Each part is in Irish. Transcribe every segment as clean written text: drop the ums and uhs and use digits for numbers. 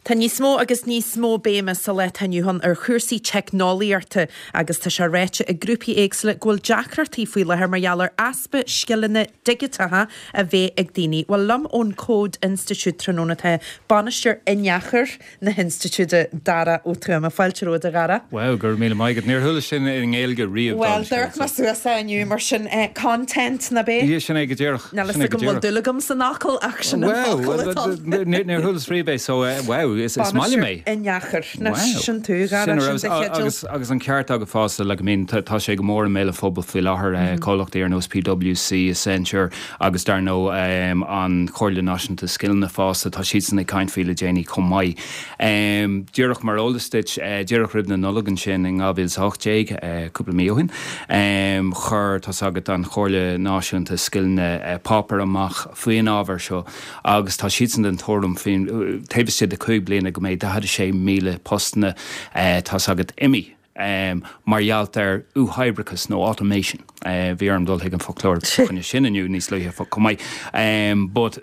Tá níos mó agus níos mó béime sa lá atá inniu ann ar chúrsaí teicneolaíochta agus tá sé ráite ag grúpaí éagsúla go bhfuil deacrachtaí faoi láthair mar gheall ar easpa scileanna digiteacha a bheith ag daoine. Bhuel, liom ón Code Institute tráthnóna tá Bainisteoir Inneachair na hinstitiúide, Dara Ó Tuama. Fáilte romhat, a Dhara. Wow, go raibh míle maith agat. Níor chuala sin i nGaeilge riamh. Bhuel, doirc mé suas é inniu, mar sin, content, nach b'é? Yeah, sin é go díreach. Níl a fhios agam bhfuil dúil agam san fhocal ach sin an focal atá ann. Níor chualas riamh é so wow, is maith liom é. Bainisteoir Inneachair. Anois, sin tú, a Dhara, sin do theideal. Agus an ceart agat fosta, like I mean, tá sé go mór i mbéal an phobail faoi láthair, comhlachtaí ar nós PwC, Accenture agus dar ndóigh an Chomhairle Náisiúnta Scileanna fosta, tá siadsan ag caint faoi le déanaí chomh maith. Díreach mar eolas duit, díreach roimh na Nollag ansin in 2018, cúpla mí ó shin, chuir, tá's agat, an Chomhairle Náisiúnta Scileanna páipéar amach faoin ábhar seo agus tá siadsan den tuairim faoin, taobh istigh de chúig bliana go mbeidh 46,000 postanna, tá's agat, imithe mar gheall ar uathoibreachas nó automation. Bhí orm dul chuig an foclóir fá choinne sin inniu níos luaithe chomh maith. But.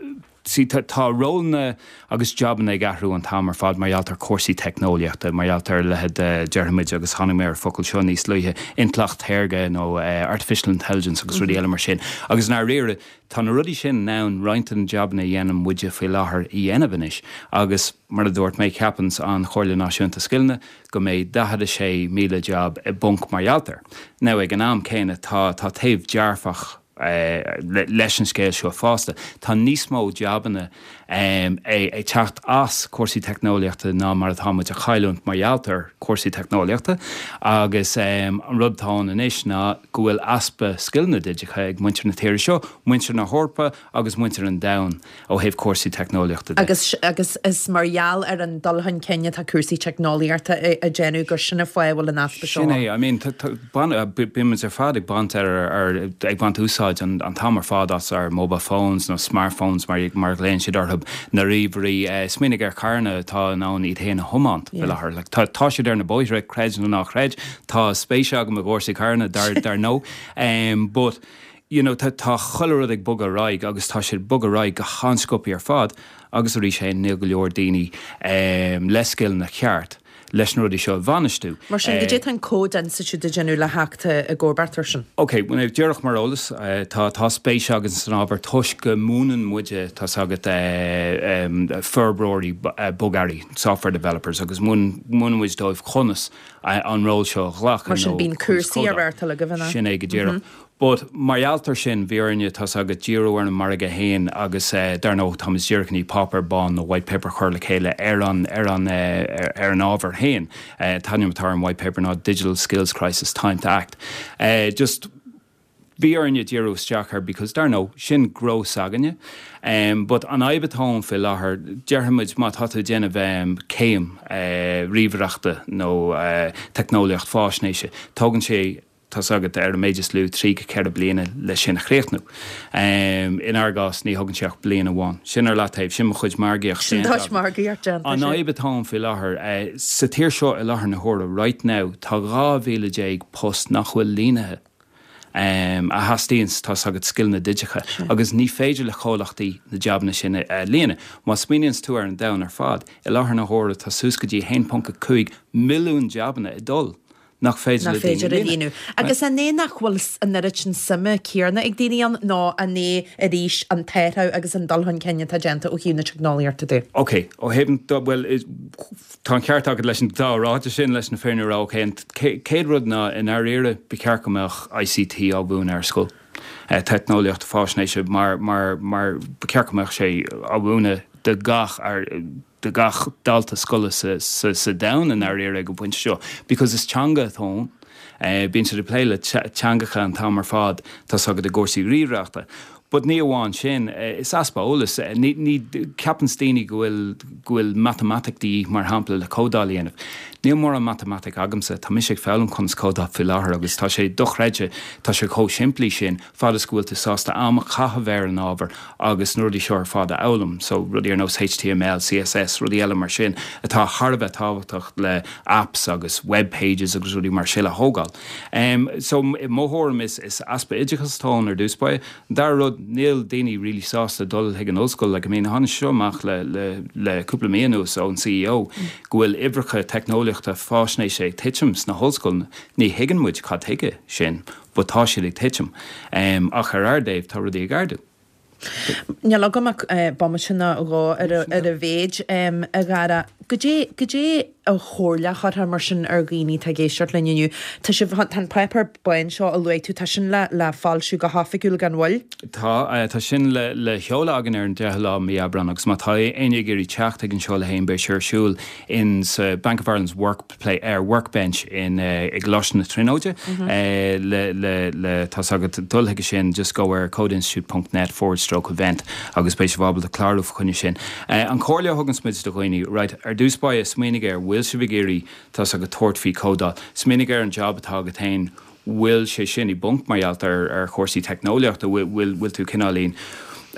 See, tá rólanna agus jabanna ag athrú an t-am ar fad mar gheall ar cúrsaí teicneolaíochta, mar gheall ar a leithéid de, déarfaimid, agus tháinig mé ar an focal seo níos luaithe, intleacht shaorga nó artificial intelligence agus rudaí eile mar sin. Agus i ndáiríre, tá na rudaí sin in ann roinnt de na jabanna a dhéanann muide faoi láthair a dhéanamh anois. Agus mar a dúirt mé, ceapann an Chomhairle Náisiúnta Scileanna go mbeidh 46,000 jab i bponc mar gheall air. Now, ag an am céanna, tá, tá taobh dearfach leis an scéal seo fosta. Tá níos mó jabanna ag teacht as cúrsaí teicneolaíochta ná mar atá muid a chailliúint mar gheall ar chúrsaí teicneolaíochta agus an rud atá ann anois ná go bhfuil easpa scileanna digiteacha ag muintir na tíre seo, muintir na hEorpa agus muintir an domhain. ó thaobh cúrsaí teicneolaíochta de. Agus agus is mar gheall ar an dul chun cinn atá cúrsaí teicneolaíochta a déanamh gur sin an fáth a bhfuil an easpa seo Sin é, I mean, bíonn muid ar fad ag baint ar, ar, ag baint úsáid an an t-am ar fad as ár mobile phones nó smartphones mar mar a ghlaonn siad orthu, na ríomhairí, smaoinigh ar charranna atá in ann iad féin a thiomáint faoi láthair. Like, tá tá siad ar na bóithre, creid nó ná chreid, tá spéis agam i gcúrsaí carranna dar dar ndóigh, but, you know, tá tá chuile rud ag bogadh ar aghaidh agus tá sé ag bogadh ar aghaidh go han-sciobtha ar fad agus arís féin níl go leor daoine le scileanna ceart leis na rudaí seo a bhainistiú. Mar sin, goidé tá an Code Institute ag déanamh le theacht i gcomharbacht air sin? Ok, bhuel, díreach mar eolas, tá tá spéis againn san ábhar toisc go múineann muide, tá's agat, forbróirí bogearraí, software developers, agus múineann muid dóibh conas an ról seo a ghlacadh Mar sin, bíonn cúrsaí á reáchtáil agaibh, an ea? Sin é go díreach. But mar gheall air sin, bhí orainne, tá's agat, díriú ar an margadh féin agus dar ndóigh táimid díreach i ndiaidh páipéar bán nó white paper a chur le chéile ar an, ar an, ar an ábhar féin. An t-ainm atá ar an white paper ná Digital Skills Crisis, Time to Act. Just bhí orainne díriú isteach air because dar ndóigh, sin gnó s'againne. But an fhadhb atá ann faoi láthair, déarfaimid má tá tú ag déanamh céim ríomhaireachta nó teicneolaíocht fáisnéise, tógann sé, tá's agat, ar an méid is lú, 3 go 4 bliana leis sin a chríochnú. Inár gcás, ní thógann sé ach bliain amháin. Sin ar leataobh, sin mo chuid margaíocht Sin déanta do chuid margaíocht déanta, An fhadhb atá ann faoi láthair, sa tír seo i láthair na huaire, right now, tá 12,000 post nach bhfuil líonaithe, a theastaíonns, tá's agat, scileanna digiteacha, agus ní féidir le comhlachtaí na jabanna sin a líonadh. Má smaoiníonns tú ar an domhan ar fad, i láthair na huaire tá suas go dtí 1.5 milliún jabanna ag dul nach féidir le daoine a líonadh. Agus an é nach bhfuil an oiread sin suime céanna ag daoine ann nó an é arís an t-athrú agus an dul chun cinn atá déanta ó thaobh na teicneolaíochta de? Ok, ó thaobh an, bhuel, tá an ceart agat leis an dá ráiteas sin, leis na fírinne a rá. Ok, an chéad rud ná, i ndáiríre, ba cheart go mbeadh ICT á mhúineadh ar scoil, teicneolaíocht faisnéise, mar, mar, mar ba cheart go mbeadh sé á mhúineadh do gach, do gach dalta scoile sa domhan i ndáiríre ag an bpointe seo because is teanga atá ann. Bíonn siad ag plé le teangacha an t-am ar fad, tá's agat i gcúrsaí ríomhaireachta. But ní amháin sin, is easpa eolais. Ní, ní, ceapanns daoine go bhfuil, go bhfuil matamaitic de dhíth mar shampla le códáil a dhéanamh. Níl mórán matamaitic agamsa, tá mise ag foghlaim conas códáil faoi láthair agus tá sé dochreidte, tá sé chomh simplí sin. fad is go bhfuil tú sásta am a chaitheamh ar an ábhar agus na rudaí seo ar fad a fhoghlaim, so rudaí ar nós HTML, CSS, rudaí eile mar sin atá thar a bheith tábhachtach le apps agus web pages agus rudaí mar sin a thógáil. So i mo thuairim is easpa oideachais atá ann ar dtús báire. An dara rud. níl daoine really sásta dul chuig an ollscoil, like I mean tháinig seo amach le, le, le cúpla mí anuas ón CEO go bhfuil uimhreacha teicneolaíochta faisnéise ag titim sna hollscoileanna. Ní thuigeann muid cad tuige sin but tá siad ag titim. Ach ar ár dtaobh tá rudaí ag ardú. Níl agam ach bomaite nó dhó ar a mhéid, a Dhara. Goidé, goidé an chomhairle a chuirfeá mar sin ar dhaoine atá ag éisteacht linn inniu? Tá sibh, tá an páipéar bán seo a luaigh tú, tá sin le, le foilsiú go hoifigiúil gan mhoill? Tá, tá sin le, le sheoladh againn ar an 10ú lá mí Aibreán agus má tá éinne ag iarraidh teacht ag an seoladh féin beidh sé ar siúl in sa Bank of Ireland's Work Play, ar Workbench in i gColáiste na Tríonóide le le le tá's agat dul chuige sin just go ar codeinstitute ponc net forward stroke event agus beidh sibh ábalta clárú fa choinne sin. An chomhairle a thuganns muid do dhaoine, right, ar dtús báire smaoinigh ar bhfuil sibh ag iarraidh tá's agat tabhairt faoi códáil, smaoinigh ar an job atá agat féin, bhfuil sé sin i bponc mar gheall ar ar chúrsaí teicneolaíochta, bhfuil bhfuil tú cineáilín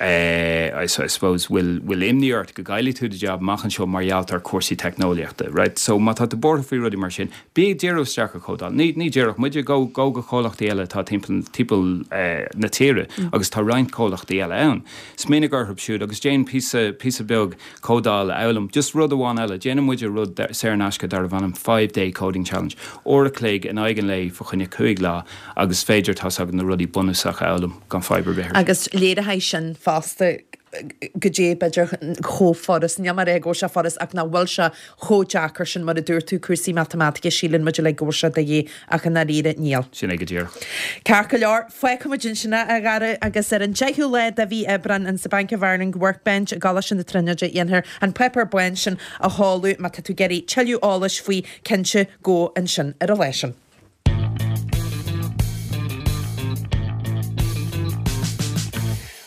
eh I suppose bhfuil bhfuil imní ort go gcaillfidh tú do job amach anseo mar gheall ar chúrsaí teicneolaíochta, right? So má tá tú buartha faoi rudaí mar sin, bí ag díriú isteach ar chódáil. Ní ní déarfadh muide gabh gabh go comhlachtaí eile atá timpeall timpeall eh na tíre agus tá roinnt comhlachtaí eile ann. Smaoinigh orthu siúd agus déan píosa píosa beag códáil a fhoghlaim. Just rud amháin eile, déanann muide rud saor in aisce darbh ainm Five Day Coding Challenge. Uair a chloig in aghaidh an lae fa choinne 5 lá agus is féidir, tá's agat, na rudaí bunúsacha a fhoghlaim gan fadhb ar bith ar. Agus léireoidh sin fosta goidé b'fhéidir chomh furast, níl mé ag rá go bhfuil sé furast ach nach bhfuil sé chomh deacair sin mar a dúirt tú, cúrsaí matamaitice, síleann muid uilig go bhfuil sé de dhíth ach i ndáiríre níl. Sin é go díreach. Ceart go leor, fágfaidh muid ansin é, a Dhara, agus ar an 10ú lá de mhí Aibreán in sa Bank of Ireland Workbench i gColáiste na Tríonóide dhéanfar an páipéar bán sin a sheoladh. Má tá tú ag iarraidh tuilleadh eolais faoi, cinnte, gabh ansin ar an lá sin.